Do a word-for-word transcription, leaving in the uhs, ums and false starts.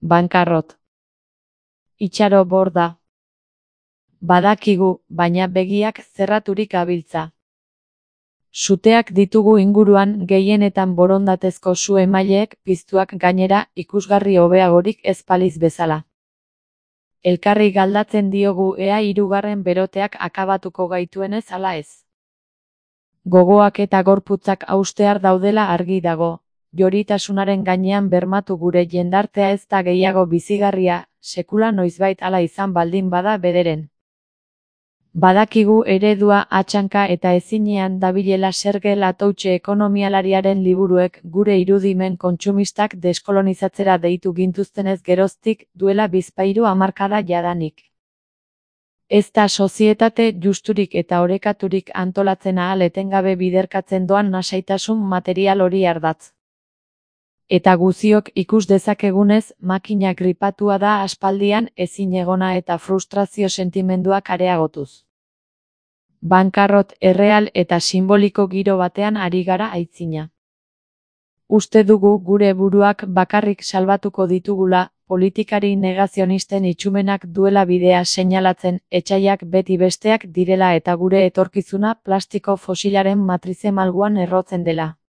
Bankarrot. Itxaro borda. Badakigu, baina begiak zerraturik gabiltza. Suteak ditugu inguruan, gehienetan borondatezko su-emaileek piztuak gainera, ikusgarri hobeagorik ez baliz bezala. Elkarri galdatzen diogu ea hirugarren beroteak akabatuko gaituenez ala ez. Gogoak eta gorputzak haustear daudela argi dago. Joritasunaren gainean bermatu gure jendartea ez da gehiago bizigarria, sekula noizbait hala izan baldin bada bederen. Badakigu eredua atxanka eta ezinean dabilela Serge Latouche ekonomialariaren liburuek gure irudimen kontsumistak deskolonizatzera deitu gintuztenez geroztik duela bizpahiru hamarkada jadanik. Ez da sozietate justurik eta orekaturik antolatzen ahal etengabe biderkatzen doan nasaitasun material hori ardatz. Eta guziok ikus dezakegunez, makina gripatua da aspaldian ezinegona eta frustrazio sentimenduak areagotuz. Bankarrot erreal eta simboliko giro batean ari gara aitzina. Uste dugu gure buruak bakarrik salbatuko ditugula, politikari negazionisten itxumenak duela bidea seinalatzen, etsaiak beti besteak direla eta gure etorkizuna plastiko fosilaren matrize malguan errotzen dela.